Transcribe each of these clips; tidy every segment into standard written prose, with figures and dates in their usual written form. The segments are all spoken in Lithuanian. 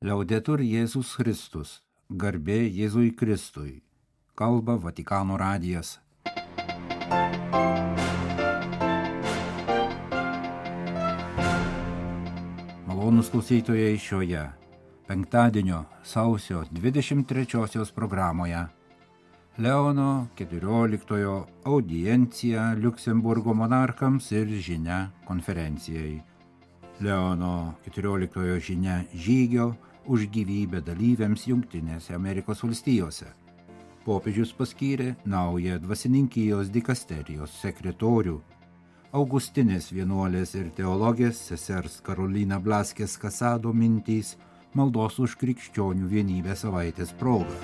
Liaudetur Jėzus Kristus, garbė Jėzui Kristui, kalba Vatikano radijas. Malonūs klausytojai šioje penktadienio sausio 23 programoje Leono XIV audiencija Liuksemburgo monarchams ir žinia konferencijai. Leono XIV žinia žygio už gyvybę dalyviams Jungtinėse Amerikos valstijose. Popiežius paskyrė naują dvasininkijos dikasterijos sekretorių, Augustinės vienuolės ir teologės sesers Karolina Blaskės Kasado mintys maldos už krikščionių vienybę savaitės proga.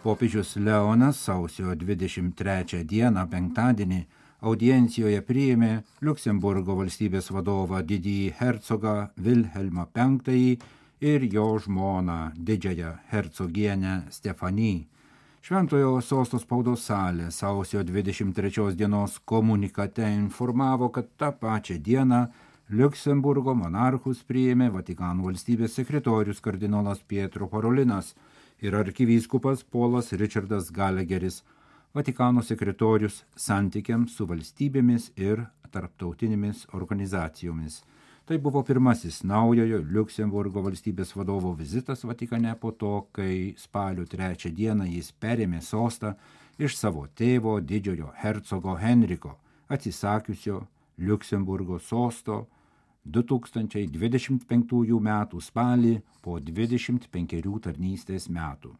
Popiežius Leonas sausio 23 dieną penktadienį audiencijoje priėmė Liuksemburgo valstybės vadovą didįjį hercogą Vilhelmą V ir jo žmoną didžiąją hercogienę Stefanį. Šventojo sosto spaudos salė sausio 23 dienos komunikate informavo, kad tą pačią dieną Liuksemburgo monarchus priėmė Vatikano valstybės sekretorius kardinolas Pietro Parolinas ir arkivyskupas Polas Richardas Gallagheris, Vatikano sekretorius santykiams su valstybėmis ir tarptautinėmis organizacijomis. Tai buvo pirmasis naujojo Liuksemburgo valstybės vadovo vizitas Vatikane po to, kai spalio 3 dieną jis perėmė sostą iš savo tėvo didžiojo hercogo Henriko, atsisakiusio Liuksemburgo sosto 2025 metų spalį po 25 tarnystės metų.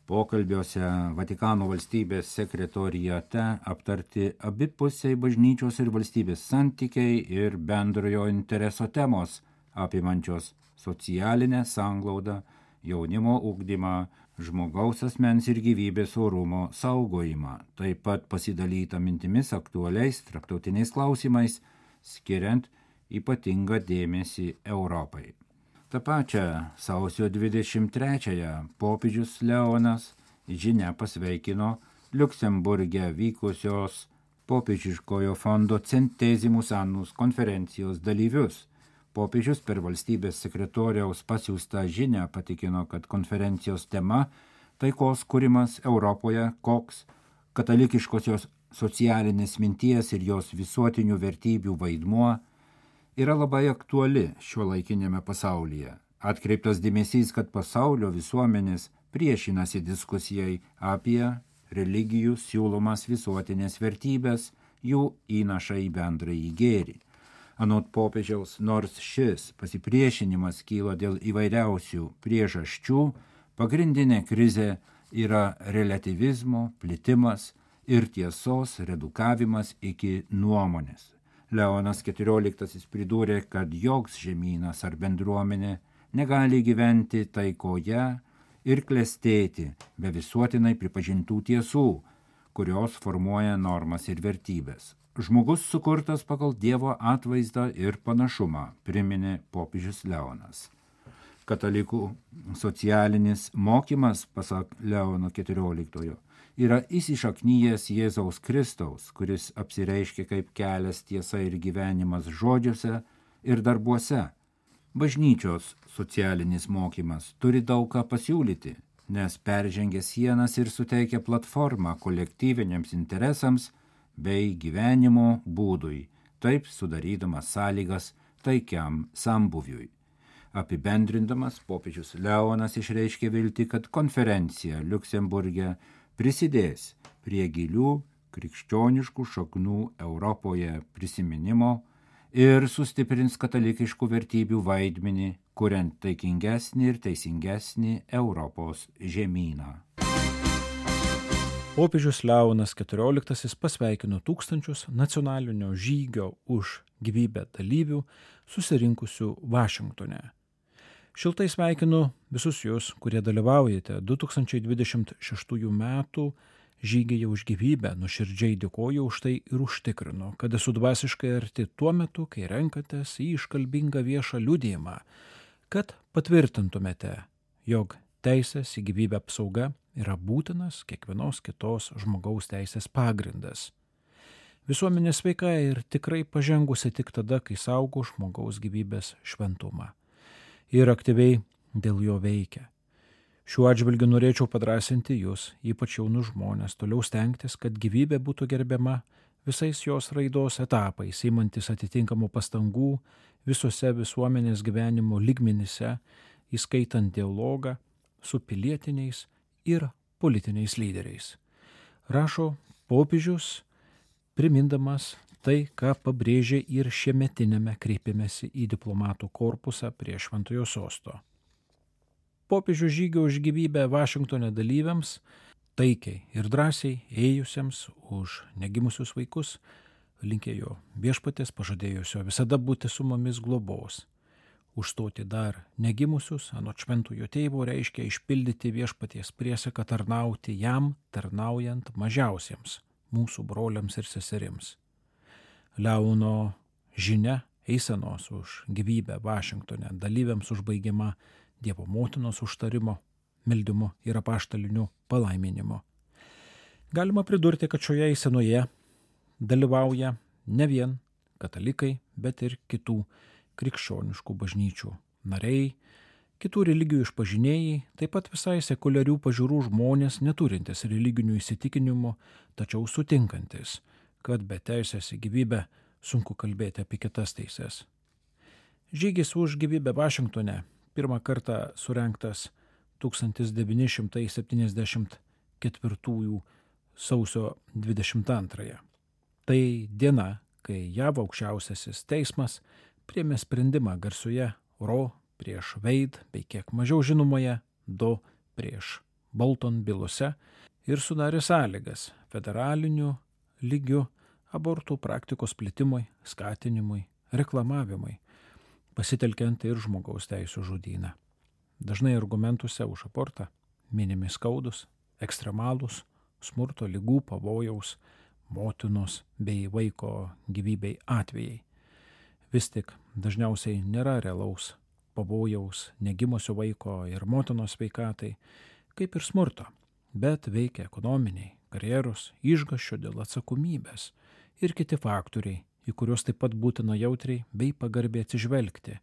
Pokalbiuose Vatikano valstybės sekretoriate aptarti abipusiai bažnyčios ir valstybės santykiai ir bendrojo intereso temos, apimančios socialinę sanglaudą, jaunimo ugdymą, žmogaus asmens ir gyvybės orumo saugojimą, taip pat pasidalyta mintimis aktualiais tarptautiniais klausimais, skiriant ypatingą dėmesį Europai. Ta pačia sausio 23-ąją popiežius Leonas žinia pasveikino Liuksemburge vykusios popiežiškojo fondo Centesimus Annus konferencijos dalyvius. Popiežius per valstybės sekretoriaus pasiųstą žinią patikino, kad konferencijos tema taikos kūrimas Europoje, koks katalikiškosios socialinės minties ir jos visuotinių vertybių vaidmuo yra labai aktuali šiuolaikinėme pasaulyje. Atkreiptas dėmesys, kad pasaulio visuomenės priešinasi diskusijai apie religijų siūlomas visuotinės vertybės, jų įnašą į bendrąjį gėrį. Anot popiežiaus, nors šis pasipriešinimas kyla dėl įvairiausių priežasčių, pagrindinė krizė yra relativizmo plitimas ir tiesos redukavimas iki nuomonės. Leonas XIV pridūrė, kad joks žemynas ar bendruomenė negali gyventi taikoje ir klestėti be visuotinai pripažintų tiesų, kurios formuoja normas ir vertybės. Žmogus sukurtas pagal Dievo atvaizdą ir panašumą, priminė popiežius Leonas. Katalikų socialinis mokymas, pasak Leono XIV, yra įsišaknyjęs Jėzaus Kristaus, kuris apsireiškia kaip kelias, tiesa ir gyvenimas žodžiuose ir darbuose. Bažnyčios socialinis mokymas turi daug ką pasiūlyti, nes peržengia sienas ir suteikia platformą kolektyviniams interesams bei gyvenimo būdui, taip sudarydamas sąlygas taikiam sambuviui. Apibendrindamas, popiežius Leonas išreiškė viltį, kad konferencija Liuksemburge prisidės prie gilių krikščioniškų šaknų Europoje prisiminimo ir sustiprins katalikiškų vertybių vaidmenį, kuriant taikingesnį ir teisingesnį Europos žemyną. Popiežius Leonas XIV pasveikino tūkstančius nacionalinio žygio už gyvybę dalyvių susirinkusių Vašingtone. Šiltai sveikinu visus jūs, kurie dalyvaujate 2026 metų žygyje už gyvybę, nuoširdžiai dėkoju už tai ir užtikrinu, kad esu dvasiškai arti tuo metu, kai renkatės į iškalbingą viešą liudijimą, kad patvirtintumėte, jog teisės į gyvybę apsauga yra būtinas kiekvienos kitos žmogaus teisės pagrindas. Visuomenė sveika ir tikrai pažengusi tik tada, kai saugo žmogaus gyvybės šventumą ir aktyviai dėl jo veikia. Šiuo atžvilgiu norėčiau padrasinti jūs, ypač jaunus žmonės, toliau stengtis, kad gyvybė būtų gerbiama visais jos raidos etapais, imantis atitinkamų pastangų visose visuomenės gyvenimo lygmenyse, įskaitant dialogą su pilietiniais ir politiniais lyderiais. Rašo popiežius, primindamas tai, ką pabrėžė ir šiemetinėme kreipimesi į diplomatų korpusą prie Šventojo sosto. Popiežių žygio už gyvybę Vašingtone dalyviams, taikiai ir drąsiai ėjusiems už negimusius vaikus, linkėjo viešpaties pažadėjusio visada būti su mumis globos. Užstoti dar negimusius, anot šventojo tėvo, reiškia išpildyti viešpaties priesaką tarnauti jam, tarnaujant mažiausiems mūsų broliams ir seserims. Leono žinia eisenos už gyvybę Vašingtone dalyviams užbaigiama Dievo motinos užtarimo, meldimu ir apaštaliniu palaiminimu. Galima pridurti, kad šioje eisenoje dalyvauja ne vien katalikai, bet ir kitų krikščioniškų bažnyčių nariai, kitų religijų išpažinėjai, taip pat visai sekuliarių pažiūrų žmonės, neturintis religinių įsitikinimų, tačiau sutinkantis, kad be teisės į gyvybę sunku kalbėti apie kitas teises. Žygis už gyvybę Vašingtone pirmą kartą surengtas 1974 sausio 22. Tai diena, kai JAV aukščiausiasis teismas priėmė sprendimą garsioje Roe prieš Wade bei kiek mažiau žinomoje Doe prieš Bolton bylose ir sudarė sąlygas federaliniu lygiu abortų praktikos plitimui, skatinimui, reklamavimui, pasitelkiant ir žmogaus teisų žodyną. Dažnai argumentuose už abortą minimi skaudus, ekstremalūs, smurto, ligų, pavojaus, motinos bei vaiko gyvybei atvejai. Vis tik dažniausiai nėra realaus pavojaus negimusio vaiko ir motinos sveikatai, kaip ir smurto, bet veikia ekonominiai, karjeros, išgąsčio dėl atsakomybės ir kiti faktoriai, į kuriuos taip pat būtina jautriai bei pagarbiai atsižvelgti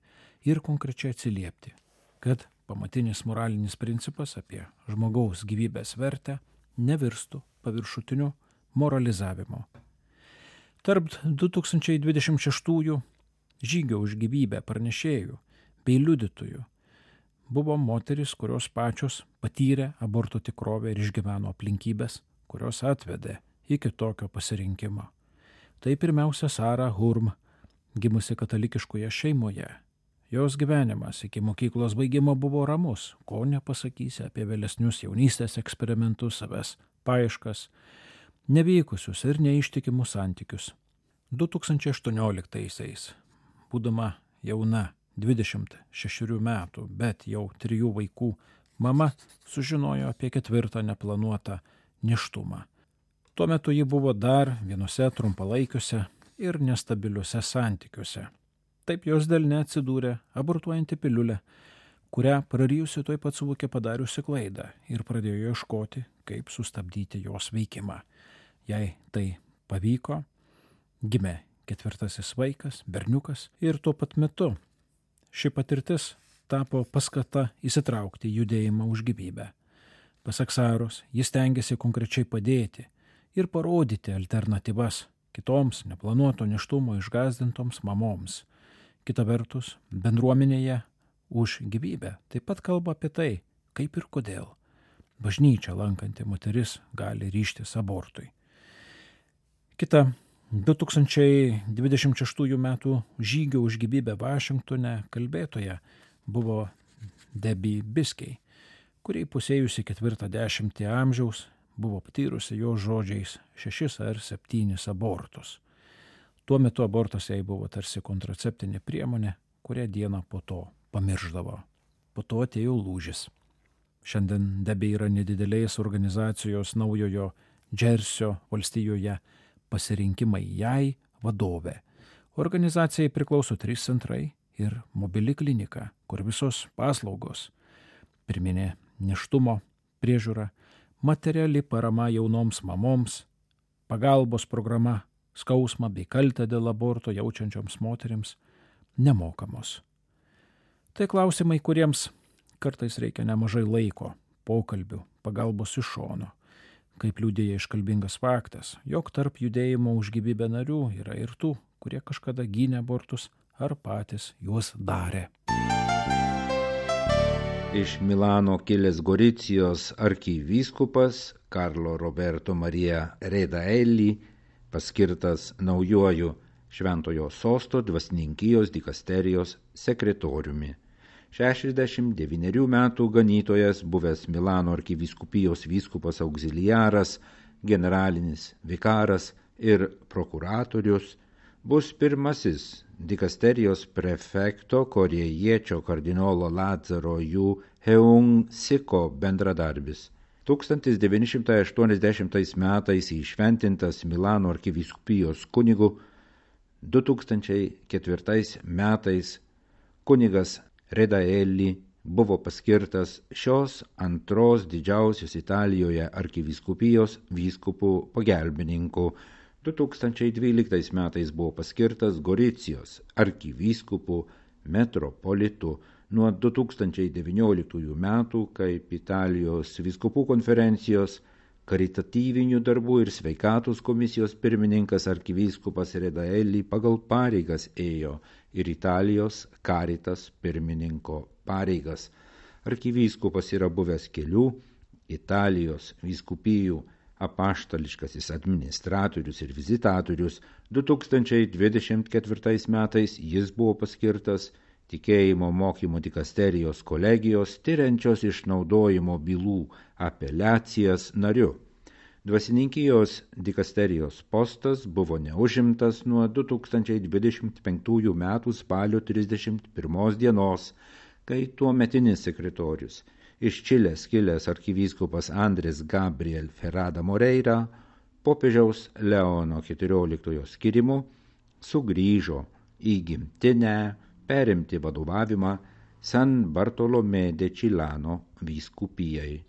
ir konkrečiai atsiliepti, kad pamatinis moralinis principas apie žmogaus gyvybės vertę nevirstų paviršutiniu moralizavimu. Tarp 2026 žygio už gyvybę pranešėjų bei liudytojų buvo moteris, kurios pačios patyrė aborto tikrovę ir išgyveno aplinkybės, kurios atvedė iki tokio pasirinkimo. Tai pirmiausia Sara Hurm, gimusi katalikiškoje šeimoje. Jos gyvenimas iki mokyklos baigimo buvo ramus, ko nepasakysi apie vėlesnius jaunystės eksperimentus, savęs paieškas, nevykusius ir neištikimus santykius. 2018-aisiais, būdama jauna 26 metų, bet jau 3 vaikų, mama sužinojo apie 4 neplanuotą nėštumą. Tuo metu ji buvo dar vienose trumpalaikiuose ir nestabiliuose santykiuose. Taip jos delne atsidūrė abortuojanti piliulė, kurią prarijusi tuoj pat suvokė padariusi klaidą ir pradėjo ieškoti, kaip sustabdyti jos veikimą. Jei tai pavyko, gimė 4. vaikas, berniukas, ir tuo pat metu ši patirtis tapo paskata įsitraukti į judėjimą už gyvybę. Pasak Saros, jis stengiasi konkrečiai padėti ir parodyti alternatyvas kitoms neplanuoto nėštumo išgąsdintoms mamoms. Kita vertus, bendruomenėje už gyvybę taip pat kalba apie tai, kaip ir kodėl bažnyčia lankanti moteris gali ryžtis abortui. Kita 2026 metų žygio už gyvybę Vašingtone kalbėtoja buvo Debbie Biskey, kuri pusėjusi 40 amžiaus buvo patyrusi jo žodžiais 6 ar 7 abortus. Tuo metu abortas jai buvo tarsi kontraceptinė priemonė, kurią dieną po to pamirždavo. Po to atėjo lūžis. Šiandien Debbie yra nedidelės organizacijos Naujojo Džersio valstijoje Pasirinkimai jai vadovė. Organizacijai priklauso 3 centrai ir mobili klinika, kur visos paslaugos, pirminė nėštumo priežiūra, materiali parama jaunoms mamoms, pagalbos programa skausmą bei kaltę dėl aborto jaučiančioms moterims nemokamos. Tai klausimai, kuriems kartais reikia nemažai laiko, pokalbių, pagalbos iš šono. Kaip liudija iškalbingas faktas, jog tarp judėjimo už gyvybę narių yra ir tų, kurie kažkada gynė abortus ar patys juos darė. Iš Milano kilęs Goricijos arkivyskupas Carlo Roberto Maria Redaelli paskirtas naujuoju Šventojo sosto dvasininkijos dikasterijos sekretoriumi. 69 metų ganytojas, buvęs Milano arkivyskupijos vyskupas auxiliaras, generalinis vikaras ir prokuratorius, bus pirmasis dikasterijos prefekto korėjiečio kardinolo Lazaro Yu Heung Siko bendradarbis. 1980 metais įšventintas Milano arkivyskupijos kunigu, 2004 metais kunigas Redaelli buvo paskirtas šios antros didžiausios Italijoje arkivyskupijos vyskupų pagelbininku. 2012 metais buvo paskirtas Goricijos arkivyskupų metropolitu. Nuo 2019 metų kaip Italijos vyskupų konferencijos karitatyvinių darbų ir sveikatos komisijos pirmininkas arkivyskupas Redaelli pagal pareigas ėjo ir Italijos Caritas pirmininko pareigas. Arkivyskupas yra buvęs kelių Italijos vyskupijų apaštališkasis administratorius ir vizitatorius. 2024 metais jis buvo paskirtas tikėjimo mokymo dikasterijos kolegijos tyriančios išnaudojimo bylų apeliacijas nariu. Dvasininkijos dikasterijos postas buvo neužimtas nuo 2025 metų spalio 31 dienos, kai tuometinis sekretorius iš Čilės kilęs arkivyskupas Andrės Gabriel Ferrada Moreira popiežiaus Leono XIV skirimu sugrįžo į gimtinę perimti vadovavimą San Bartolomé de Čilano vyskupijai.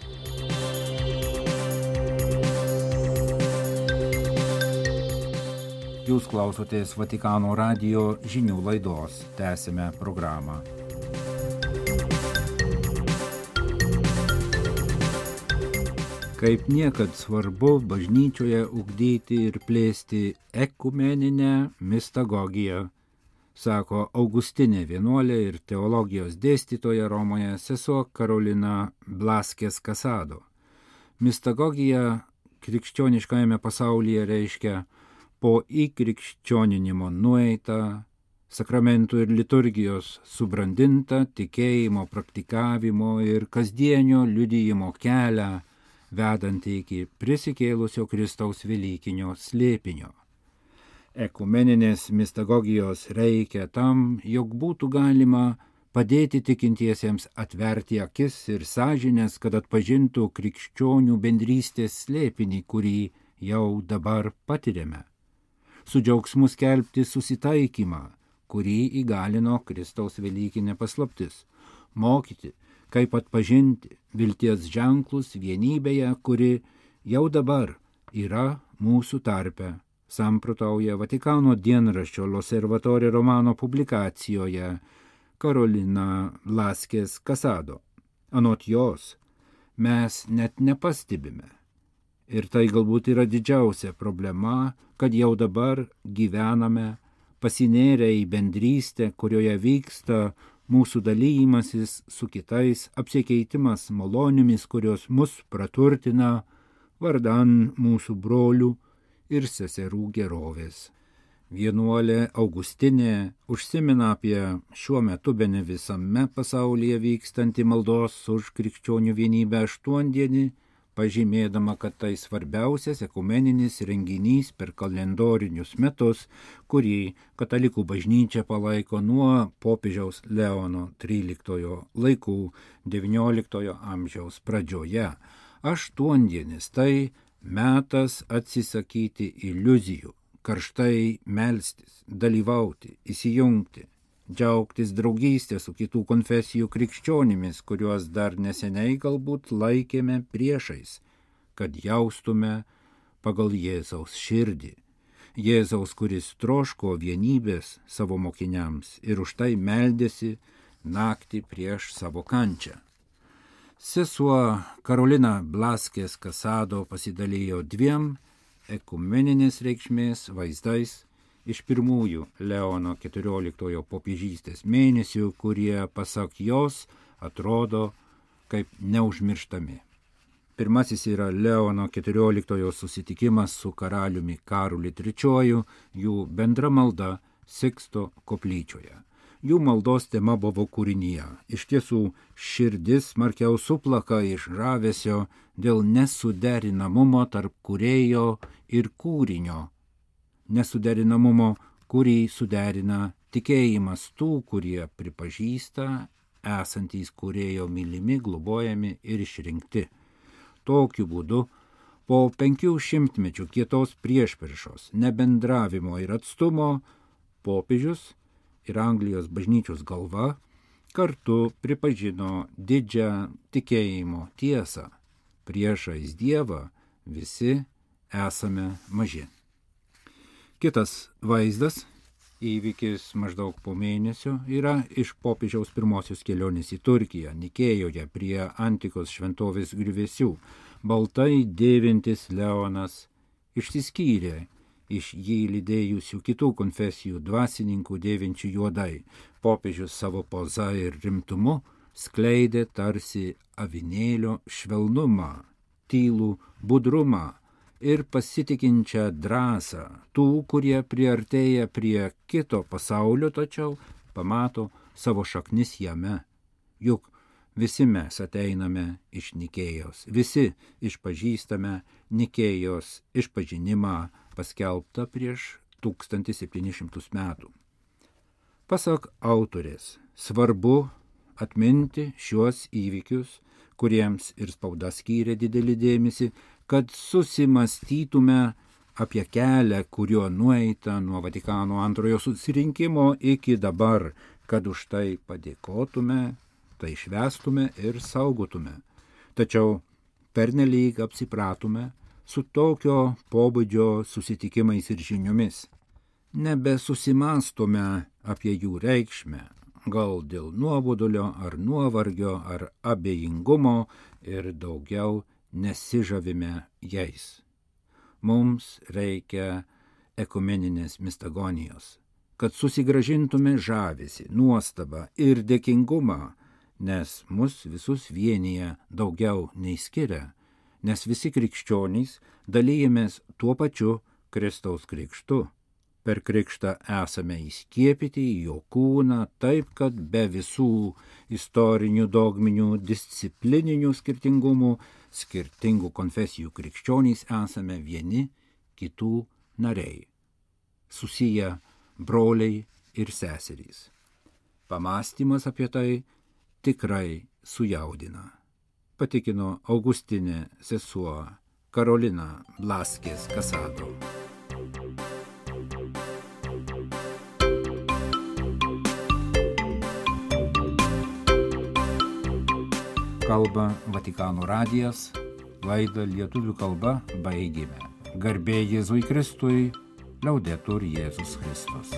Jūs klausotės Vatikano radijo žinių laidos. Tęsime programą. Kaip niekad svarbu bažnyčioje ugdyti ir plėsti ekumeninę mistagogiją, sako Augustinė vienuolė ir teologijos dėstytoja Romoje sesuo Karolina Blaskės Casado. Mistagogija krikščioniškajame pasaulyje reiškia po įkrikščioninimo nueitą, sakramentų ir liturgijos subrandintą tikėjimo praktikavimo ir kasdienio liudijimo kelią, vedantį iki prisikėlusio Kristaus velykinio slėpinio. Ekumeninės mistagogijos reikia tam, jog būtų galima padėti tikintiesiems atverti akis ir sąžines, kad atpažintų krikščionių bendrystės slėpinį, kurį jau dabar patiriame. Su džiaugsmu skelbti susitaikymą, kurį įgalino Kristaus velykinė paslaptis. Mokyti, kaip atpažinti vilties ženklus vienybėje, kuri jau dabar yra mūsų tarpe, samprotauja Vatikano dienraščio L'Osservatore Romano publikacijoje Karolina Blaskės Casado. Anot jos, mes net nepastebime. Ir tai galbūt yra didžiausia problema, kad jau dabar gyvename pasinėrę į bendrystę, kurioje vyksta mūsų dalymasis su kitais, apsikeitimas malonėmis, kurios mus praturtina vardan mūsų brolių ir seserų gerovės. Vienuolė Augustinė užsimena apie šiuo metu bene visame pasaulyje vykstantį maldos už krikščionių vienybę aštuondienį, pažymėdama, kad tai svarbiausias ekumeninis renginys per kalendorinius metus, kurį katalikų bažnyčia palaiko nuo popiežiaus Leono XIII laikų XIX amžiaus pradžioje. Aštuondienis tai metas atsisakyti iliuzijų, karštai melstis, dalyvauti, įsijungti, džiaugtis draugystė su kitų konfesijų krikščionimis, kuriuos dar neseniai galbūt laikėme priešais, kad jaustume pagal Jėzaus širdį. Jėzaus, kuris troško vienybės savo mokiniams ir už tai meldėsi naktį prieš savo kančią. Sesuo Karolina Blaskės Kasado pasidalijo dviem ekumeninės reikšmės vaizdais iš pirmųjų Leono XIV popiežystės mėnesių, kurie, pasak jos, atrodo kaip neužmirštami. Pirmasis yra Leono XIV susitikimas su karaliumi Karoliu III, jų bendra malda Siksto koplyčioje. Jų maldos tema buvo kūrinyje. Iš tiesų, širdis smarkiau suplaka iš žavesio dėl nesuderinamumo tarp kūrėjo ir kūrinio. Nesuderinamumo, kurį suderina tikėjimas tų, kurie pripažįsta esantys kūrėjo mylimi, globojami ir išrinkti. Tokiu būdu, po 500 mečių kietos priešpriešos, nebendravimo ir atstumo, popiežius ir Anglijos bažnyčios galva kartu pripažino didžią tikėjimo tiesą. Priešais Dievą visi esame maži. Kitas vaizdas, įvykis maždaug po mėnesio, yra iš popiežiaus pirmosios kelionės į Turkiją, Nikėjoje prie antikos šventovės griuvėsių. Baltai dėvintis Leonas išsiskyrė iš jį lydėjusių kitų konfesijų dvasininkų dėvinčių juodai. Popiežius savo poza ir rimtumu skleidė tarsi avinėlio švelnumą, tylų budrumą ir pasitikinčią drąsą tų, kurie priartėja prie kito pasaulio, tačiau pamato savo šaknis jame. Juk visi mes ateiname iš Nikėjos, visi išpažįstame Nikėjos išpažinimą paskelbtą prieš 1700 metų. Pasak autorės, svarbu atminti šiuos įvykius, kuriems ir spauda skyrė didelį dėmesį, kad susimastytume apie kelią, kuriuo nueita nuo Vatikano antrojo susirinkimo iki dabar, kad už tai padėkotume, tai švęstume ir saugotume. Tačiau pernelyg apsipratome su tokio pobūdžio susitikimais ir žiniomis. Nebesusimastome apie jų reikšmę, gal dėl nuobodulio ar nuovargio ar abejingumo ir daugiau nesižavime jais. Mums reikia ekumeninės mistagonijos, kad susigrąžintume žavesį, nuostabą ir dėkingumą, nes mus visus vienyje daugiau nei skiria, nes visi krikščionys dalijamės tuo pačiu Kristaus krikštu. Per krikštą esame įskiepyti į jo kūną, taip kad be visų istorinių, dogminių, disciplininių skirtingumų, skirtingų konfesijų krikščionys esame vieni kitų nariai, susiję broliai ir seserys. Pamąstymas apie tai tikrai sujaudina, patikino Augustinė sesuo Karolina Blaskės Kasado. Kalba Vatikano radijas, laidą lietuvių kalba baigėme. Garbė Jėzui Kristui, Laudetur Jėzus Kristus.